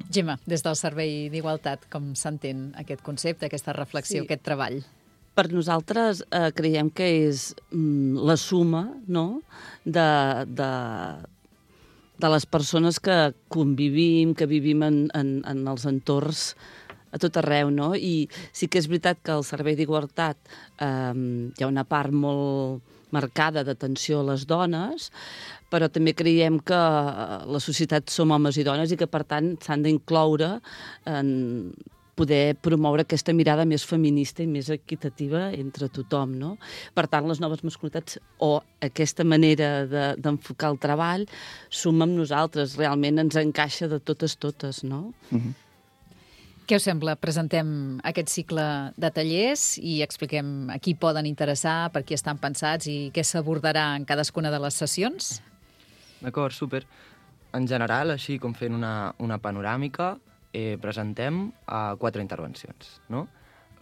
S3: Gemma, des del Servei d'Igualtat, com s'entén aquest concepte, aquesta reflexió, sí. aquest treball?
S11: Per nosaltres eh, creiem que és mm, la suma, no?, de, de, de les persones que convivim, que vivim en, en, en els entorns a tot arreu, no? I sí que és veritat que al Servei d'Igualtat eh, hi ha una part molt marcada d'atenció a les dones, però també creiem que la societat som homes i dones i que, per tant, s'han d'incloure en poder promoure aquesta mirada més feminista i més equitativa entre tothom, no? Per tant, les noves masculinitats o aquesta manera de, d'enfocar el treball suma amb nosaltres, realment ens encaixa de totes totes, no?
S10: Mm-hmm.
S3: Què us sembla? Presentem aquest cicle de tallers i expliquem a qui poden interessar, per qui estan pensats i què s'abordarà en cadascuna de les sessions?
S9: D'acord, súper. En general, així com fent una, una panoràmica, Eh, presentem uh, quatre intervencions, no?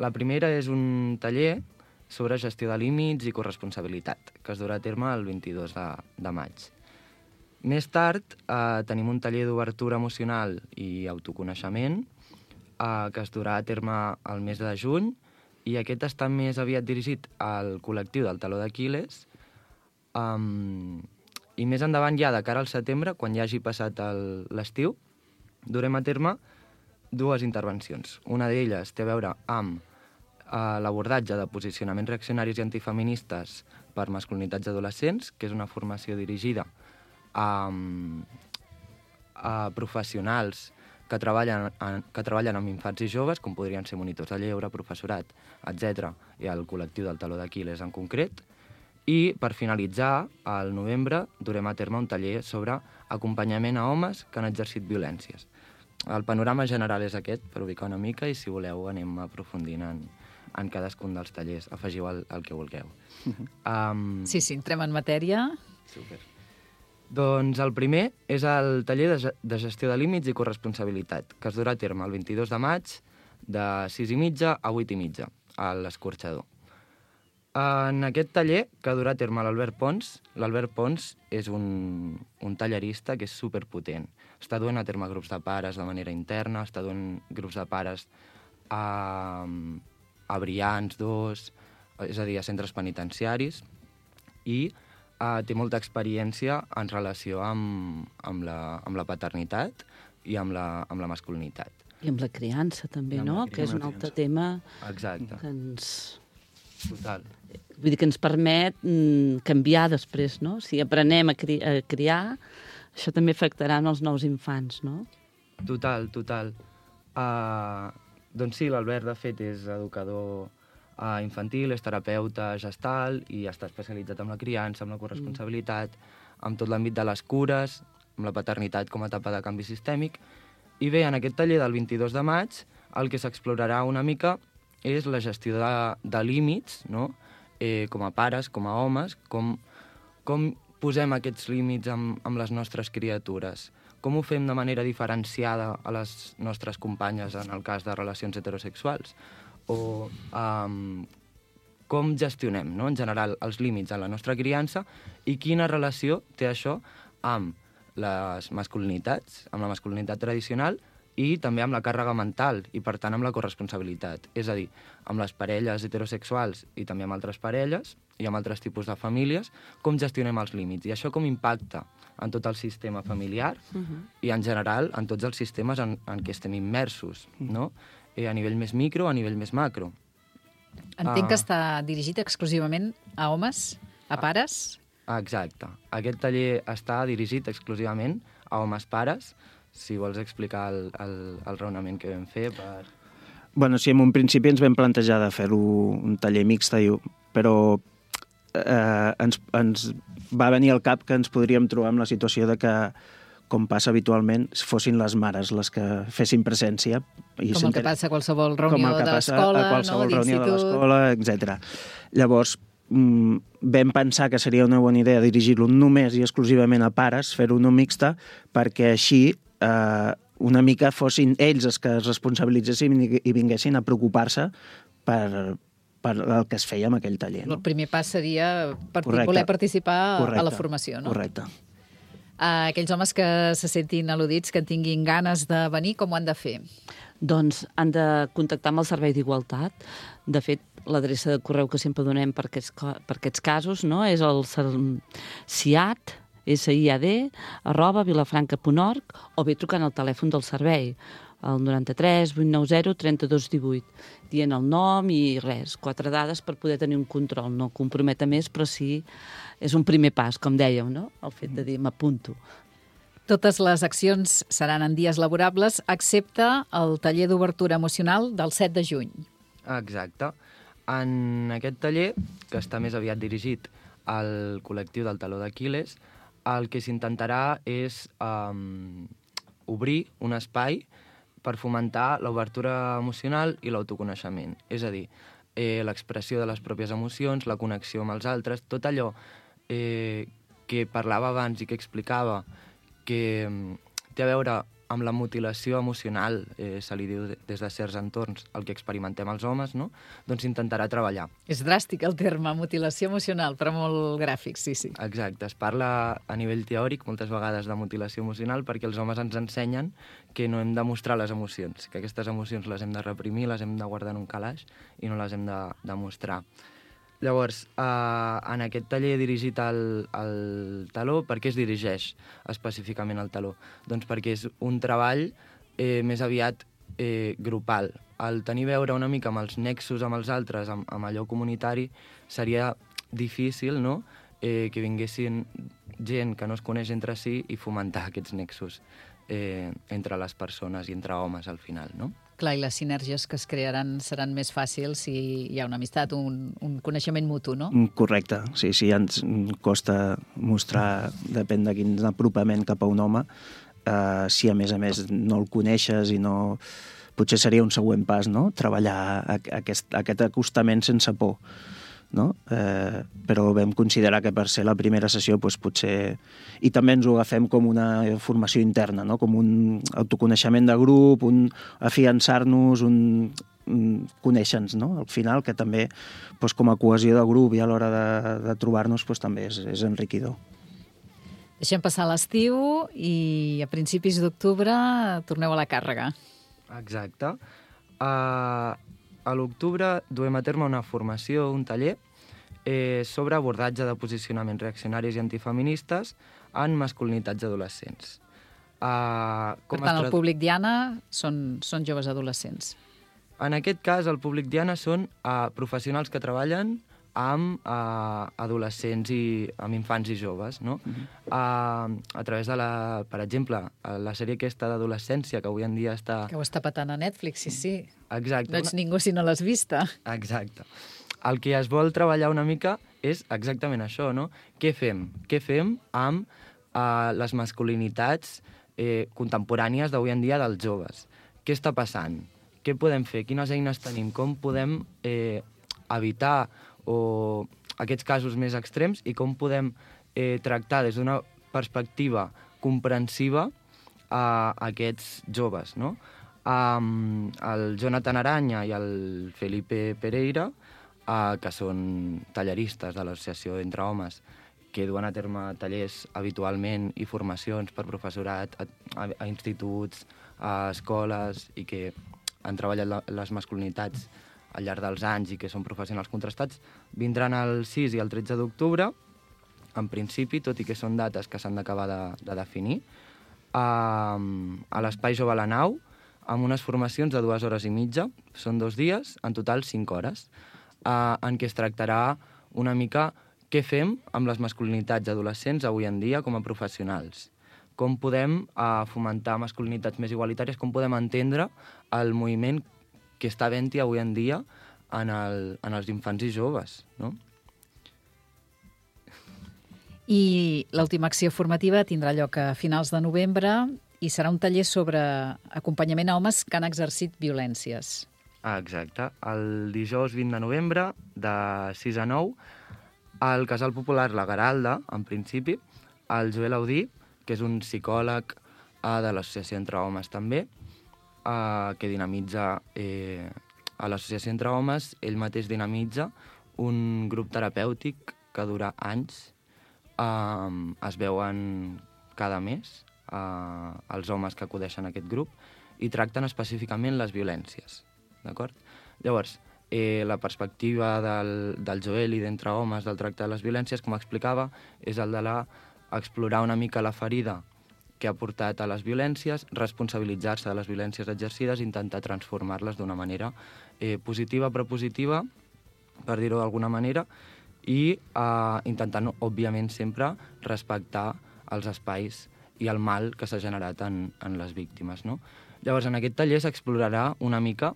S9: La primera és un taller sobre gestió de límits i corresponsabilitat, que es durà a terme el vint-i-dos de maig. Més tard eh, tenim un taller d'obertura emocional i autoconeixement eh, que es durà a terme el mes de juny i aquest està més aviat dirigit al col·lectiu del Taló d'Aquil·les um, i més endavant ja de cara al setembre, quan ja hagi passat el, l'estiu, durem a terme dues intervencions. Una d'elles té a veure amb eh, l'abordatge de posicionaments reaccionaris i antifeministes per masculinitats adolescents, que és una formació dirigida a, a professionals que treballen, que treballen amb infants i joves, com podrien ser monitors de lleure, professorat, etcètera, i el col·lectiu del Taló d'Aquil·les en concret. I, per finalitzar, al novembre durem a terme un taller sobre acompanyament a homes que han exercit violències. El panorama general és aquest, per ubicar una mica, i si voleu anem aprofundint en, en cadascun dels tallers. Afegiu el, el que vulgueu.
S3: Uh-huh.
S9: Um,
S3: sí, sí, entrem en matèria.
S9: Super. Doncs el primer és el taller de, de gestió de límits i corresponsabilitat, que es durà a terme el vint-i-dos de maig de sis i mitja a vuit i mitja, a l'Escorxador. En aquest taller, que ha durat a terme l'Albert Pons, l'Albert Pons és un, un tallerista que és superpotent. Està duent a terme grups de pares de manera interna, està duent grups de pares a, a Brians dos, és a dir, a centres penitenciaris, i uh, té molta experiència en relació amb, amb, la, amb la paternitat i amb la, amb la masculinitat.
S11: I amb la criança, també, no? Que és un altre tema
S9: Exacte.
S11: que ens...
S9: Total.
S11: Vull dir que ens permet mm, canviar després, no? Si aprenem a, cri a criar, això també afectarà els nous infants, no?
S9: Total, total. Uh, doncs sí, l'Albert, de fet, és educador uh, infantil, és terapeuta gestal i està especialitzat en la criança, en la corresponsabilitat, mm. amb tot l'àmbit de les cures, amb la paternitat com a etapa de canvi sistèmic. I bé, en aquest taller del vint-i-dos de maig, el que s'explorarà una mica és la gestió de, de límits, no? eh, com a pares, com a homes, com, com posem aquests límits amb, amb les nostres criatures, com ho fem de manera diferenciada a les nostres companyes en el cas de relacions heterosexuals, o um, com gestionem, no? en general, els límits en la nostra criança i quina relació té això amb les masculinitats, amb la masculinitat tradicional i també amb la càrrega mental i, per tant, amb la corresponsabilitat. És a dir, amb les parelles heterosexuals i també amb altres parelles i amb altres tipus de famílies, com gestionem els límits. I això com impacta en tot el sistema familiar uh-huh. i, en general, en tots els sistemes en, en què estem immersos, no? Eh, a nivell més micro, a nivell més macro.
S3: Entenc
S9: Uh,
S3: que està dirigit exclusivament a homes, a pares?
S9: Exacte. Aquest taller està dirigit exclusivament a homes pares. Si vols explicar el, el, el raonament que vam fer per...
S10: Bueno, sí, en un principi ens vam plantejar de fer-ho un taller mixt, però eh, ens, ens va venir al cap que ens podríem trobar amb la situació de que, com passa habitualment, fossin les mares les que fessin presència. I
S3: com el que passa a qualsevol reunió de l'escola,
S10: a qualsevol
S3: no?
S10: reunió de l'escola, etcètera. Llavors, mm, vam pensar que seria una bona idea dirigir-lo només i exclusivament a pares, fer-ho no mixta, perquè així eh, una mica fossin ells els que es responsabilitzessin i vinguessin a preocupar-se per, per el que es feia en aquell taller. No?
S3: El primer pas seria per
S10: Correcte.
S3: voler participar
S10: Correcte.
S3: a la formació, no?
S10: Correcte.
S3: Uh, aquells homes que se sentin al·ludits, que tinguin ganes de venir, com ho han de fer?
S11: Doncs han de contactar amb el Servei d'Igualtat. De fet, l'adreça de correu que sempre donem per aquests, per aquests casos, no? És el SIAD, S I A D, arroba vilafranca punt org, o bé trucant al telèfon del servei, el noranta-tres vuit nou zero trenta dos divuit, dient el nom i res, quatre dades per poder tenir un control. No comprometa més, però sí és un primer pas, com dèieu, no? El fet de dir m'apunto.
S3: Totes les accions seran en dies laborables, excepte el taller d'obertura emocional del set de juny.
S9: Exacte. En aquest taller, que està més aviat dirigit al col·lectiu del Taló d'Aquil·les, el que s'intentarà és um, obrir un espai per fomentar l'obertura emocional i l'autoconeixement. És a dir, eh, l'expressió de les pròpies emocions, la connexió amb els altres, tot allò eh, que parlava abans i que explicava que um, té a veure amb la mutilació emocional, eh, se li diu des de certs entorns, el que experimentem els homes, no? Doncs intentarà treballar.
S3: És dràstic el terme, mutilació emocional, però molt gràfic, sí, sí.
S9: Exacte, es parla a nivell teòric moltes vegades de mutilació emocional perquè els homes ens ensenyen que no hem de mostrar les emocions, que aquestes emocions les hem de reprimir, les hem de guardar en un calaix i no les hem de, de mostrar. Llavors, eh, en aquest taller dirigit al, al taló, per què es dirigeix específicament al taló? Doncs perquè és un treball eh, més aviat eh, grupal. El tenir a veure una mica amb els nexos amb els altres, amb, amb allò comunitari, seria difícil, no?, eh, que vinguessin gent que no es coneix entre si i fomentar aquests nexos eh, entre les persones i entre homes al final, no?
S3: Clar, i les sinergies que es crearan seran més fàcils si hi ha una amistat, un, un coneixement mutu, no?
S10: Correcte, sí, sí, ens costa mostrar, depèn de quin apropament cap a un home, eh, si a més a més no el coneixes i no... Potser seria un següent pas, no?, treballar aquest, aquest acostament sense por, no? Eh, però vam considerar que per ser la primera sessió doncs, potser... I també ens ho agafem com una formació interna, no? Com un autoconeixement de grup, un afiançar-nos, un conèixer-nos, no? Al final, que també doncs, com a cohesió de grup i a l'hora de, de trobar-nos doncs, també és, és enriquidor.
S3: Deixem passar l'estiu i a principis d'octubre torneu a la càrrega.
S9: Exacte. Uh, a l'octubre duem a terme una formació, un taller, eh, sobre abordatge de posicionaments reaccionaris i antifeministes en masculinitats adolescents. Uh,
S3: per tant, el públic Diana són, són joves adolescents.
S9: En aquest cas, el públic Diana són uh, professionals que treballen amb uh, adolescents i amb infants i joves, no? Uh-huh. uh, a través de la, per exemple, la sèrie aquesta d'adolescència, que avui en dia està...
S3: Que ho està patant a Netflix, sí, sí.
S9: Exacte.
S3: No ets ningú si no l'has vista.
S9: Exacte. El que es vol treballar una mica és exactament això, no? Què fem? Què fem amb uh, les masculinitats eh, contemporànies d'avui en dia dels joves? Què està passant? Què podem fer? Quines eines tenim? Com podem eh, evitar o aquests casos més extrems i com podem eh, tractar des d'una perspectiva comprensiva a aquests joves, no? Um, el Jonathan Aranya i el Felipe Pereira, uh, que són talleristes de l'Associació Entre Homes, que duen a terme tallers habitualment i formacions per professorat a, a, a instituts, a escoles, i que han treballat la, les masculinitats al llarg dels anys i que són professionals contrastats, vindran el sis i el tretze d'octubre, en principi, tot i que són dates que s'han d'acabar de, de definir, a, a l'Espai Jove a la Nau, amb unes formacions de dues hores i mitja, són dos dies, en total cinc hores, eh, en què es tractarà una mica què fem amb les masculinitats adolescents avui en dia com a professionals. Com podem eh, fomentar masculinitats més igualitàries, com podem entendre el moviment que està havent-hi avui en dia en, el, en els infants i joves, no?
S3: I l'última acció formativa tindrà lloc a finals de novembre i serà un taller sobre acompanyament a homes que han exercit violències.
S9: Ah, exacte. El dijous vint de novembre, de sis a nou, al Casal Popular La Garalda, en principi, el Joel Audí, que és un psicòleg eh, de l'Associació Entre Homes també, eh, que dinamitza eh, a l'Associació Entre Homes, ell mateix dinamitza un grup terapèutic que dura anys, eh, es veuen cada mes, Uh, els homes que acudeixen a aquest grup i tracten específicament les violències, d'acord? Llavors, eh, la perspectiva del, del Joel i d'Entre Homes del tracte de les violències, com explicava, és el de la, explorar una mica la ferida que ha portat a les violències, responsabilitzar-se de les violències exercides i intentar transformar-les d'una manera eh, positiva, propositiva, per dir-ho d'alguna manera, i eh, intentant, òbviament, sempre respectar els espais i el mal que s'ha generat en, en les víctimes, no? Llavors, en aquest taller s'explorarà una mica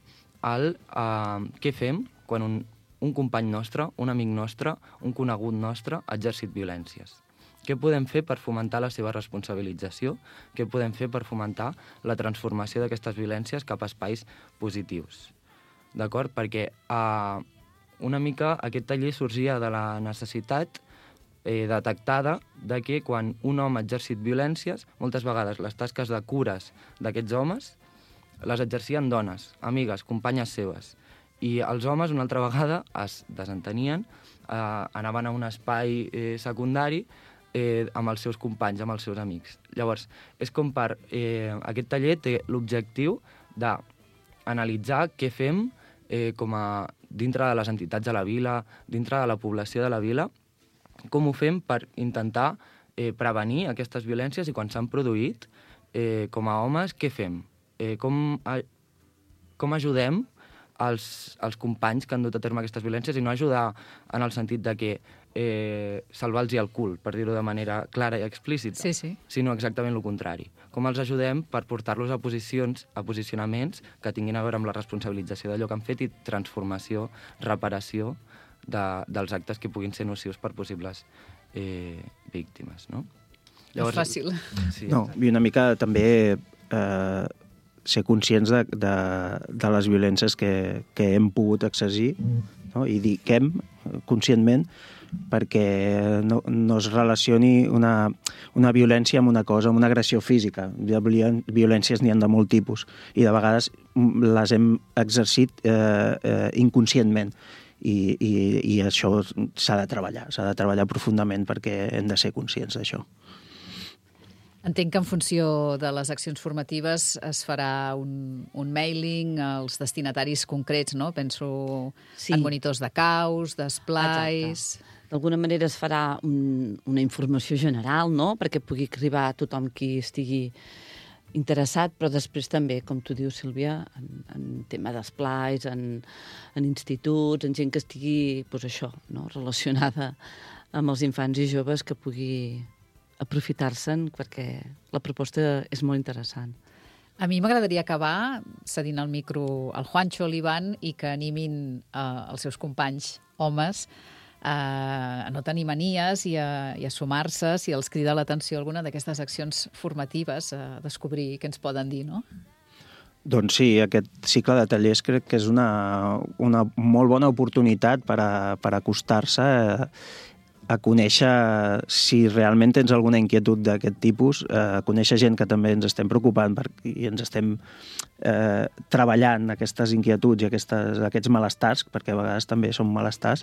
S9: el eh, què fem quan un, un company nostre, un amic nostre, un conegut nostre ha exercit violències. Què podem fer per fomentar la seva responsabilització? Què podem fer per fomentar la transformació d'aquestes violències cap a espais positius? D'acord? Perquè eh, una mica aquest taller sorgia de la necessitat Eh, detectada de que quan un home ha exercit violències, moltes vegades les tasques de cures d'aquests homes les exercien dones, amigues, companyes seves. I els homes, una altra vegada, es desentenien, eh, anaven a un espai eh, secundari eh, amb els seus companys, amb els seus amics. Llavors, és com per... Eh, aquest taller té l'objectiu d'analitzar què fem eh, com a dintre de les entitats de la vila, dintre de la població de la vila, com ho fem per intentar eh, prevenir aquestes violències i quan s'han produït, eh, com a homes, què fem? Eh, com, a, com ajudem els, els companys que han dut a terme aquestes violències i no ajudar en el sentit de que eh, salvar-los el cul, per dir-ho de manera clara i explícita,
S3: sí, sí.
S9: sinó exactament el contrari. Com els ajudem per portar-los a posicions, a posicionaments que tinguin a veure amb la responsabilització d'allò que han fet i transformació, reparació, De, dels actes que puguin ser nocius per possibles eh, víctimes, no?
S3: Llavors, és fàcil.
S10: Sí, no, i una mica també eh, ser conscients de, de, de les violències que, que hem pogut accesir, no? I diquem conscientment perquè no, no es relacioni una, una violència amb una cosa, amb una agressió física. De violències n'hi ha de molt tipus i de vegades les hem exercit eh, eh, inconscientment i, i, i això s'ha de treballar, s'ha de treballar profundament perquè hem de ser conscients d'això.
S3: Entenc que en funció de les accions formatives es farà un, un mailing als destinataris concrets, no? Penso sí. en monitors de caus, d'esplais...
S11: D'alguna manera es farà un, una informació general, no?, perquè pugui arribar a tothom qui estigui interessat, però després també, com tu dius, Sílvia, en, en tema d'esplais, en, en instituts, en gent que estigui, doncs això, no?, relacionada amb els infants i joves que pugui aprofitar-se'n, perquè la proposta és molt interessant.
S3: A mi m'agradaria acabar cedint el micro al Juancho, a l'Ivan, i que animin eh, els seus companys homes a no tenir manies i a, i a sumar-se si els crida l'atenció alguna d'aquestes accions formatives, a descobrir què ens poden dir, no?
S10: Doncs sí, aquest cicle de tallers crec que és una, una molt bona oportunitat per, a, per acostar-se a, a conèixer si realment tens alguna inquietud d'aquest tipus, a conèixer gent que també ens estem preocupant per, i ens estem eh, treballant aquestes inquietuds i aquestes, aquests malestars, perquè a vegades també són malestars,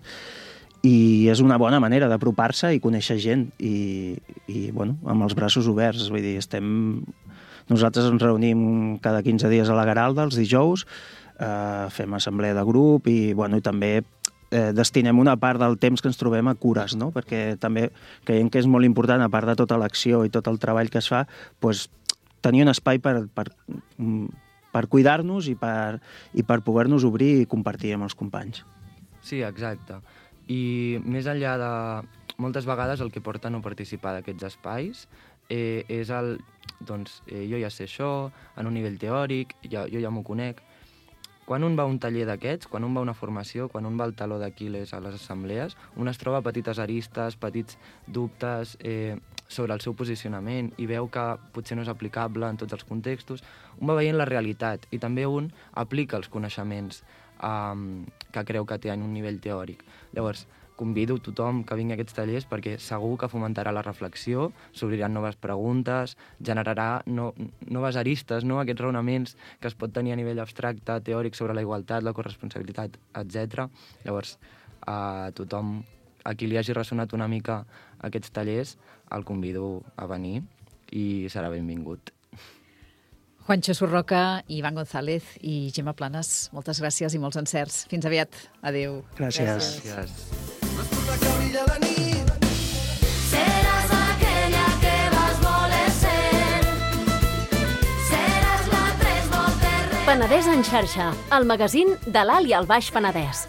S10: i és una bona manera d'apropar-se i conèixer gent i, i bueno, amb els braços oberts. Vull dir, estem... Nosaltres ens reunim cada quinze dies a la Garalda, els dijous, eh, fem assemblea de grup i, bueno, i també eh, destinem una part del temps que ens trobem a cures, no? Perquè també creiem que és molt important, a part de tota l'acció i tot el treball que es fa, pues, tenir un espai per, per, per cuidar-nos i per, i per poder-nos obrir i compartir amb els companys.
S9: Sí, exacte. I més enllà de... Moltes vegades el que porta a no participar d'aquests espais eh, és el... Doncs eh, jo ja sé això, en un nivell teòric, ja, jo ja m'ho conec. Quan un va a un taller d'aquests, quan un va a una formació, quan un va al taló d'Aquil·les a les assemblees, un es troba petites aristes, petits dubtes eh, sobre el seu posicionament i veu que potser no és aplicable en tots els contextos. Un va veient la realitat i també un aplica els coneixements Um, que creu que té en un nivell teòric. Llavors, convido tothom que vingui a aquests tallers perquè segur que fomentarà la reflexió, s'obriran noves preguntes, generarà no, noves aristes, no? Aquests raonaments que es pot tenir a nivell abstracte, teòric, sobre la igualtat, la corresponsabilitat, etcètera. Llavors, a tothom a qui li hagi ressonat una mica aquests tallers, el convido a venir i serà benvingut.
S3: Juancho Surroca, Ivan González i Gemma Planes, moltes gràcies i molts encerts. Fins aviat. Adéu.
S10: Gràcies.
S9: Gràcies.
S8: Seràs aquella que vas voler ser. Seràs la tres voltes.
S2: Penedès en xarxa, el magazín de l'Alt i el Baix Penedès.